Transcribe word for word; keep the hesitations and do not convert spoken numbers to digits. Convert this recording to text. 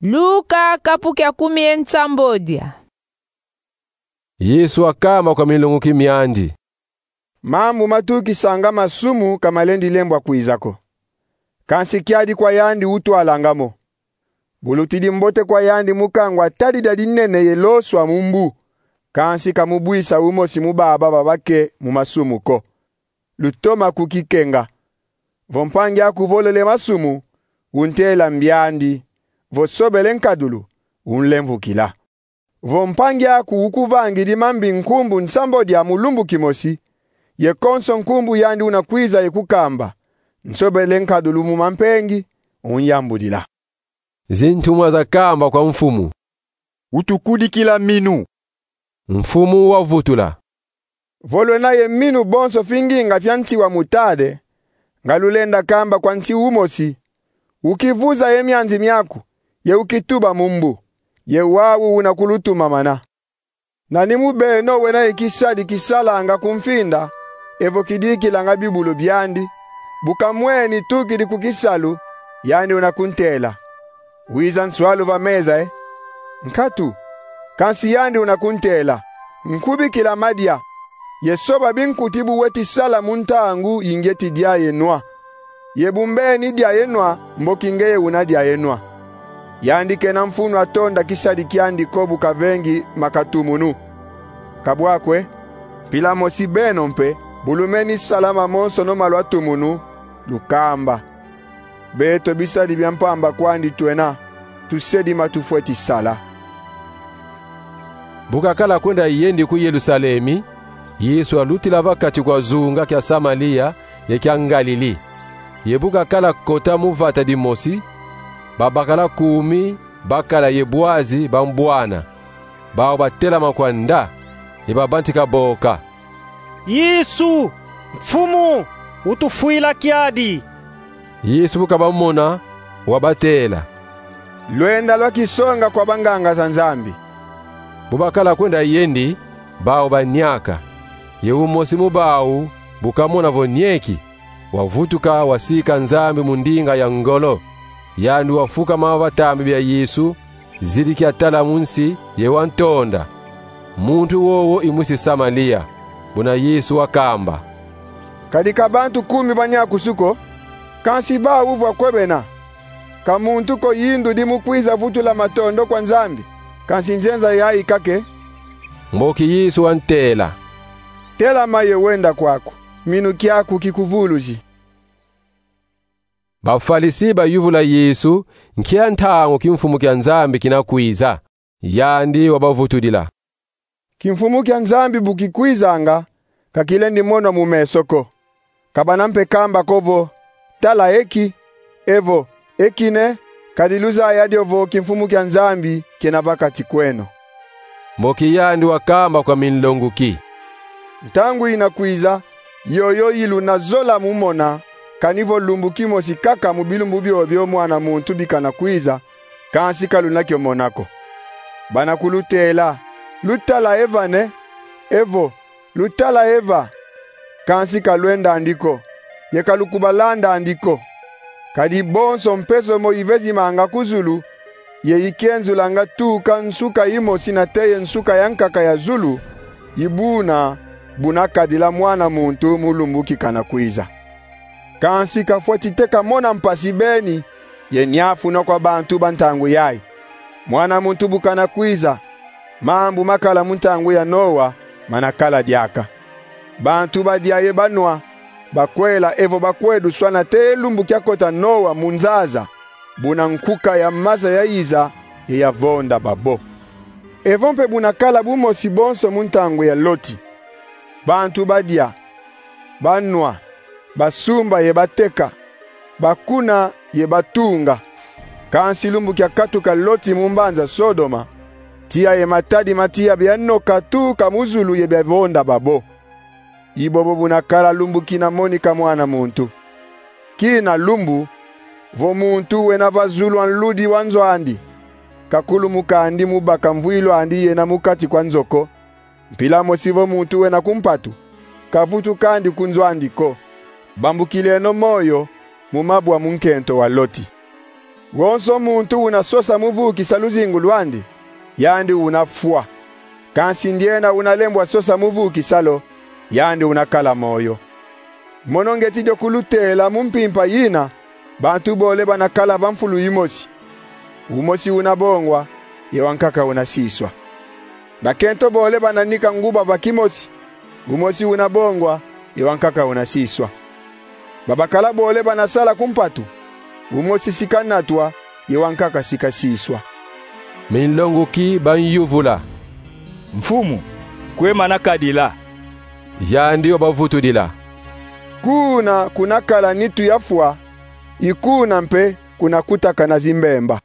Luka kapu kia kumi ye nsambodia. Yesu wakamba kwa milonguki miandi: Mambu matukisanga masumu ka malendi lembwa kwiza ko, kansi kiadi kwa yandi utwalanga mo. Bulutidi mbote kwa yandi mu kangwa tadi dia dinene ye loswa mu mbu, kansi ka mubwisa umosi mu baba babake mu masumu ko. Lutoma kukikenga. Vo mpangi aku volele masumu, untela mbiandi. Vo sobele nkadulu, unlemvukila. Vo mpangi aku ukuvangidi mambi nkumbu nsambodia mu lumbu kimosi, ye konso nkumbu yandi una kwiza ye kukamba, nsobele nkadulu mu mampengi, unyambudila. Zintumwa zakamba kwa mfumu: Utukudikila minu. Mfumu wavutula: Vo lwena ye minu bonso finginga fia nsi wa mutade, nga lulenda kamba kwa nsi umosi: Ukivuza ye mianzi miaku, ye ukituba mu mbu, ye wau una kulutumamana. Nani mu beno wena ye kisadi kisalanga ku mfinda, evo kidikilanga bibulu biandi, bu kamweni tukidi ku kisalu, yandi una kuntela: Wiza nswalu va meza, e? Nkatu. Kansi yandi una kuntela: Nkubikila madia, ye soba binkuti bu weti sala mu ntangu yi ngieti dia ye nwa, ye bu mbeni dia ye nwa mboki ngeye una dia ye nwa. Yandi kena mfunu atonda kisadi kiandi ko bu kavengi makatumunu. Ka bwa ko, e? Mpila mosi beno mpe, bu lumeni sala mamonsono ma lwatumunu, lukamba: Beto bisadi bia mpamba kwandi twena, tusedi ma tufweti sala. Bu kakala kwenda yendi ku Yelusalemi, Yesu alutila va kati kwa zunga kia Samalia ye kia Ngalili. Ye bu kakala kota mu vata dimosi, babakala kumi bakala ye bwazi bambwana. Bau batelama kwa nda, ye babantika boka: Yesu, Mfumu, utufwila kiadi! Yesu bu kabamona, wabatela: Lwenda lwakisonga kwa banganga za Nzambi. Bu bakala kwenda yendi, bau baniaka. Ye umosi mu bau, bu kamona vo nieki, wavutuka, wasika Nzambi mu ndinga ya ngolo. Yandi wafukama va tambi bia Yesu, zidi kiatala mu nsi, ye wantonda. Muntu wowo i mwisi Samalia. Buna Yesu wakamba: Kadi ka bantu kumi baniakusu ko, kansi bau vo kwe bena? Ka muntu ko yindudi mu kwiza vutula matondo kwa Nzambi, kansi nzenza yayi kake? Mboki Yesu wantela: Telama ye wenda kwaku, minu kiaku kikuvuluzi. Bafalisi bayuvula Yesu nkia ntangu kimfumu kia Nzambi kina kwiza. Yandi wabavutudila: Kimfumu kia Nzambi bu kikwizanga, ka kilendi monwa mu meso ko. Ka bana mpe kamba ko vo: Tala eki, evo: Eki ne, kadi luzaya dio vo kimfumu kia Nzambi kena va kati kweno. Mboki yandi wakamba kwa minlonguki: Ntangu ina kwiza, yoyo yi luna zola mu mona, kani vo lumbu kimosi kaka mu bilumbu biobio Mwana muntu bikana kwiza, kansi ka luna kio mona ko. Bana kulutela: Lutala eva ne? Evo: Lutala eva? Kansi ka lwendandi ko, ye ka lukubalandandi ko. Kadi bonso mpe zomo ivezimanga ku zulu, ye ikienzulanga tuka nsuka imosi nate ye nsuka ya nkaka ya zulu, ibuna buna kadila Mwana muntu mu lumbu kikana kwiza. Kansi kafweti teka mona mpasi beni, ye niafunwa kwa bantu ba ntangu yayi. Mwana muntu bu kana kwiza, mambu makala mu ntangu ya Noa mana kala diaka. Bantu badia ye banwa, bakwela evo bakwe duswa nate ye lumbu kiakota Noa mu nzaza, buna nkuka ya maza yayiza ye yavonda babo. Evo mpe buna kala bumosi bonso mu ntangu ya Loti. Bantu badia, banwa, basumba ye bateka, bakuna ye batunga. Kansi lumbu kiakatuka Loti mu mbanza Sodoma, tiya ye matadi ma tiya bianoka tuka mu zulu ye biavonda babo. I bobo buna kala lumbu kina monika Mwana muntu. Kina lumbu, vo muntu wena va zulu a nludi wa nzo andi, ka kulumukandi mu baka mvwilu andi yena mu kati kwa nzo ko, mpila mosi vo muntu wena ku mpatu, ka vutukandi ku nzo andi ko. Bambukileno moyo mu mabwa mu nkento wa Loti. Wonso muntu una sosa mu vukisa luzingu lwandi, yandi una fwa. Kansi ndiena una lembwa sosa mu vukisa lo, yandi una kala moyo. Mono ngeti dio kulutela mu mpimpa yina: bantu bole bana kala va mfulu yimosi. Umosi una bongwa, ye wankaka una siswa. Bakento bole bana nika nguba va kimosi. Umosi una bongwa, ye wankaka una siswa. Babakala bole bana sala ku mpatu. Umosi si kanatwa, ye wankaka si kasiswa. Minlonguki bamyuvula: Mfumu, kwe mana kadila? Yandi wabavutudila: Kuna kuna kala nitu ya fwa, i kuna mpe kuna kutakana zimbemba.